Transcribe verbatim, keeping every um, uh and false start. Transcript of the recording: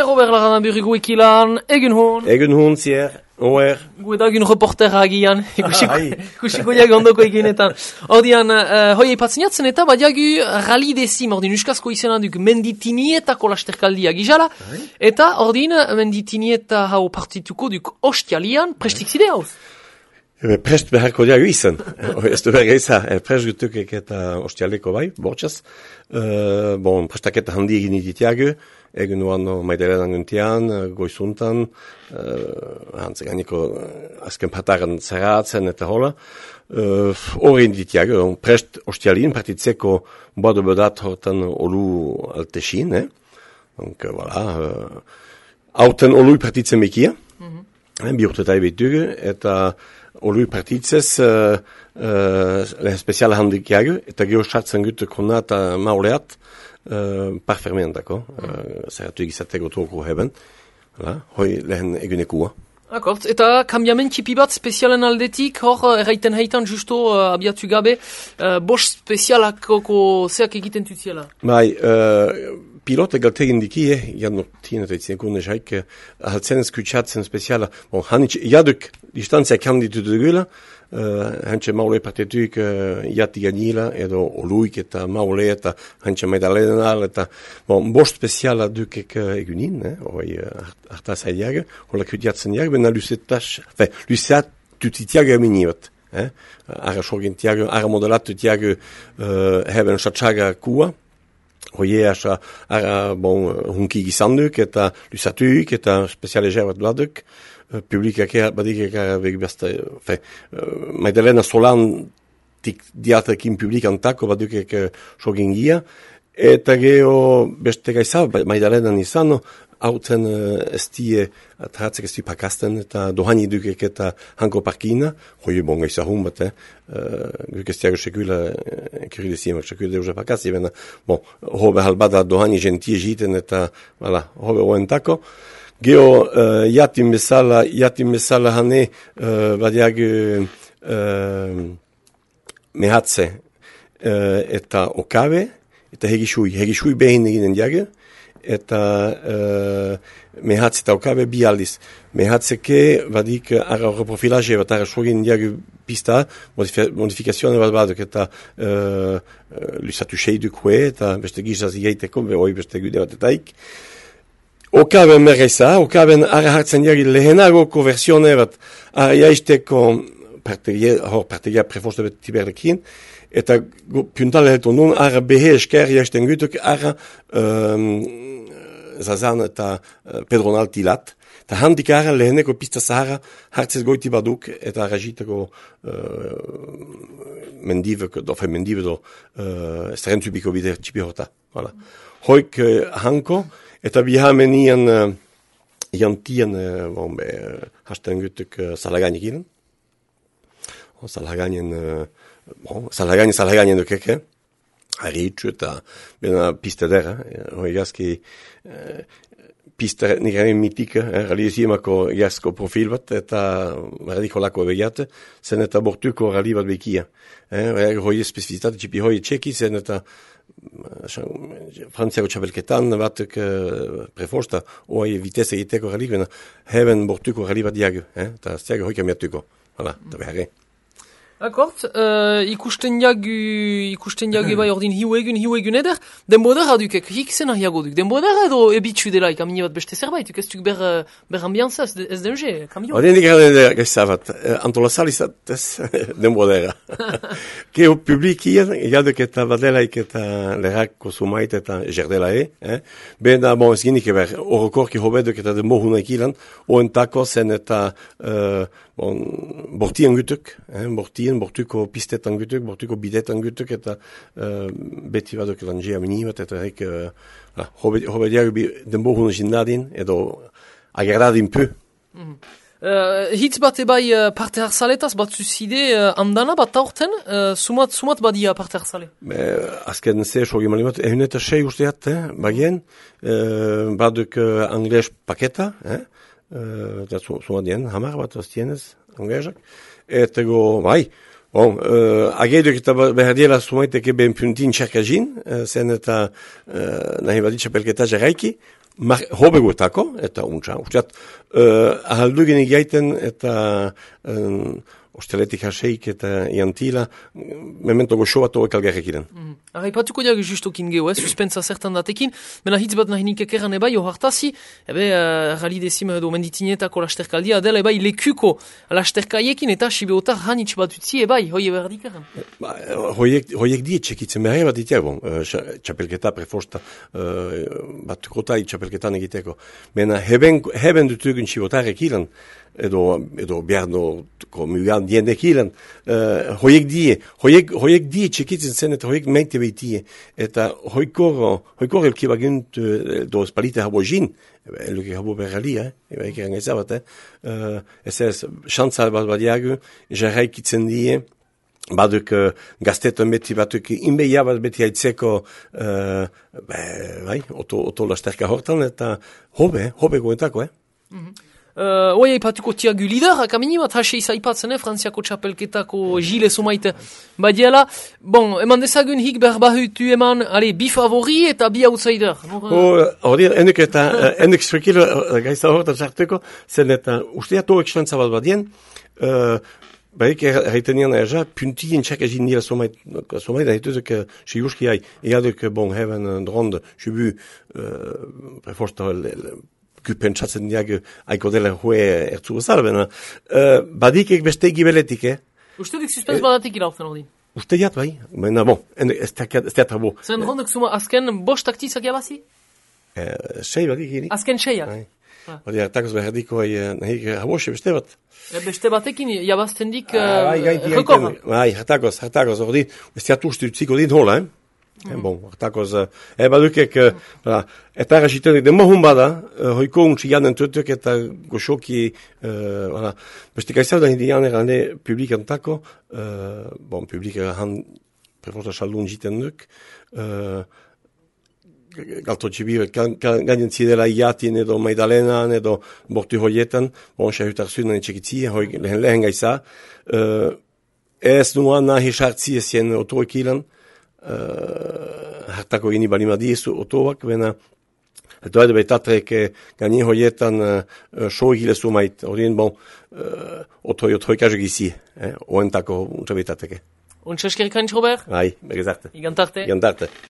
Robert Laranaburi guekilan, egun hon. Egun hon, zier, oer. Gu edagun reportera agian, ikusiko jagu ondoko eginetan. Ordian, uh, hoi eipatzeniatzen eta badiagu rali dezim, ordin uskazko izena duk menditinietako lasterkaldia gizala, eta ordin menditinieta hau partituko duk ostialian, prestik zide hauz? Prest beharko diagu izan. Ez du berga izan, prest gutukek eta ostialeko bai, bortxaz. Uh, bon, prestaketa handi egin iditiagu, egun nuan maidelenan guntian, goizuntan, uh, hantzek aniko azken pataren zerratzen eta hola. Hori uh, iditiagu, prest ostialin partitzeko bodo bedat hortan olu altesin, eh? Donc, voilà. Uh, Auten olui partitzen mekia, mm-hmm. eh, bi urtetai betugu, eta olui partitzez uh, uh, lehen speziala handikiagu, eta geho sartzen gutu kona eta mauleat uh, parfermean dako, uh, zeratu egizateko toko heben, voilà, hoi lehen egunekua. Akort, eta kambiamentipi bat spezialen aldetik, hor erraiten heitan justo uh, abiatu gabe, uh, bost spezialakoko zeak egiten tutziela? Bai, uh, pilote galtegin dikie, jadno tina teitzen kunde jaik, haltzen skutsatzen speziala, bon, hanitz, jaduk distantzia kam ditu dugula, uh, hantxe maule partetuik uh, jati ganila, edo oluik eta maule eta hantxe maidalenal, eta bon, bost speziala dukek uh, egunin, eh, hoi uh, hartaz haidiaga, hola kutiatzen diaga, bena lusetas, fe, luseat tutitiaga eminiot, eh, ara sorgentiaga, ara modelatu tiaga uh, heben satsaga kua, hoie asa, ara, bon, hunki gizanduk, eta lusatuik, eta spezialeger bat bladuk, uh, publikak badik eka begibazta, fe, uh, Maidalena solan tik diatekin publikantako baduk eka sogingia, eta geho beste gaiza, Maidalenan izano, hautzen uh, estie, atratzek estie pakasten, eta dohani dukek eta hanko parkina, hoi bon gaiza hun bat, eh, uh, duk estiago sekula, kiride simak sekula deuja pakasti, bena, bon, hobe halbada dohani gentie jiten, eta, voilà, hobe oentako. Geho, uh, jatim bezala, jatim bezala hane, uh, badiag, uh, mehatze, uh, eta okabe, eta hegishui, hegishui behin eginen diage, eta uh, mehatze eta okabe bi aldiz. Mehatzeke badik ara reprofilaje bat ara sogin diagu pista, modifikazioan bat baduk eta uh, lusatu seidukue eta beste gizaz igaiteko, behoi beste gude bat etaik. Okaben merreza, okaben ara hartzen diagi lehenagoko versione bat ara jaisteko hor partegia prefoste bet tiberrekin, eta puntale heltu nun ara behe esker jaisten gutuk ara um, Zazan eta uh, Pedronal tilat. Ta handik ara leheneko pista zahara hartzez goiti baduk eta rajiteko uh, mendivek, dofe mendive do uh, estrentubiko bide txipi horta. Voilà. Hoik uh, hanko, eta bihamen ian uh, jantian uh, bon, be, uh, hasten gutuk uh, salagani gilen. Oh, salaganen, uh, bon, salagani, salagani dukeke. Haritxu eta bena pista dera, hoi gazki eh, pista nire mitika, eh, realizimako gazko profil bat, eta radiko lako begiate, zen eta bortuko rali bat bekia. Eh, hoi especifizitate txipi hoi txeki, zen eta frantziako txabelketan batuk eh, preforsta, hoi vitese egiteko rali, bena heben bortuko rali bat diagu, eh, eta stiago hoi kamiatuko, hala, eta beharre. Akort, uh, ikusten jagu, ikusten jagu bai ordin hiu egun, hiu egun eder, denbodera dukek, hik zena hiago duk, denbodera edo ebitxu delaik, amini bat beste zerbait, ez duk ber, ber ambianza, ez denje, kamio? Hori indik gara gaizabat, antolazal izat ez denbodera. Geo publikien, jaduk eta badelaik eta lerako sumait eta jerdelae, eh? Bena, bon, ez ginik eber, orokorki hobeduk eta denbo hunaik ilan, oentako zen eta, uh, bon, bortien gutuk, eh? bortien, bortuko pistetan gutuk, bortuko bidetan gutuk, eta uh, beti baduk lanjea minibat, eta hek, uh, hobediak denbo hunaik jindadin, edo agradadin pu. Mm. Uh, hitz bat ebai uh, parte hartzaletaz bat zuzide uh, andana bat aurten, uh, sumat, sumat badia parte hartzale? Azken ze sogi malimat, ehun eta sei usteat, eh, bagien, uh, baduk uh, angles paketa, eh, uh, sumat dien, hamar bat aztienez, anglezak, eta go, bai, bon, uh, ageiduk eta behar sumaiteke ben puntin txarkajin, uh, zen eta uh, nahi badit txapelketa jarraiki, hobeguetako, eta untsa. Usteat, uh, ahaldugenik gaiten eta um, osteletik haseik eta iantila, memento goxo bat horiek algarrekiren. Mm. Arra, ipatuko diag justokin geho, eh, suspensa zertan datekin, mena hitz bat nahi nikek eran ebai, ohartazi, ebe, uh, rali dezim edo menditinetako lasterkaldia, adela ebai lekuko lasterkaiekin eta sibeotar hanitz bat utzi ebai, hoi eberdik eran. Ba, hoiek, hoiek die txekitzen behar bat ditea, bon, uh, txapelketa prefosta, uh, bat kotai txapelketan egiteko. Mena, heben, heben dutugun sibeotarek ilan, edo, edo biarno mugan diendek ilan, uh, hoiek die, hoiek, hoiek die txekitzen zen eta hoiek meite beitie, eta hoikor, hoikor elki bagunt uh, do spalite habo jin, elke habo berrali, eh, eba ekeran ezabat, eh, uh, ez ez, xantzal bat badiagu, jarraikitzen die, baduk uh, gaztetan beti batuk inbeia bat beti haitzeko uh, bai, oto, oto lasterka hortan, eta hobe, hobe goentako, eh? Mm-hmm. Uh, Oia ipatuko tiagu lider, kamini bat hase izaipatzen, eh, Frantziako txapelketako Gile Somaite badiela. Bon, eman dezagun hik berbahutu eman, ale, bi favori eta bi outsider. Hori, uh... enduk eta, enduk strukil uh, gaizta horretan sartuko, zen eta usteat horrek xantza bat badien, uh, barik erraiten nian erja, puntien txak egin nila Somait, Somait ahituzek siuski hai, eaduk, bon, heaven drond, jubu, uh, preforsta, pentsatzen diag aiko dela hue ertzu gozal, bena. Uh, badikek beste gibeletik, eh? Uste dik suspens badatik irautzen hori? Uste diat, bai. Bena, bon, ez teatra bo. Zen rondek zuma azken bost taktizak jabazi? Uh, sei badik gini. Azken seiak? Hori, hartakoz beherdiko nahik habose beste bat. Beste batekin jabazten dik rekorra? Bai, hartakoz, hartakoz, hori, ez teat uste utziko din hola, eh? Mm. Bon, hartakoz, eh, badukek, uh, eta errasitenek demohun bada, uh, hoiko untsi janen tutuk eta goxoki, uh, voilà. Beste kaizau da hindi janer ane publikantako, uh, bon, publik han preforta saldun jiten duk, uh, galto txibir, gainen zidela iatin edo maidalenan edo bortu hoietan, bon, xahutar zunan etxekitzi, hoi lehen lehen gaiza, uh, ez nuan nahi sartzi ezien otoekilan, Uh, hartako gini balima diezu otoak, bena eta edo betatrek gani hoietan uh, show egile sumait, horien bon uh, otoi otoi kajo gizi, eh, oentako untra betateke. Untsa eskerrik hain, Robert? Hai, begezarte. Igantarte. Igantarte.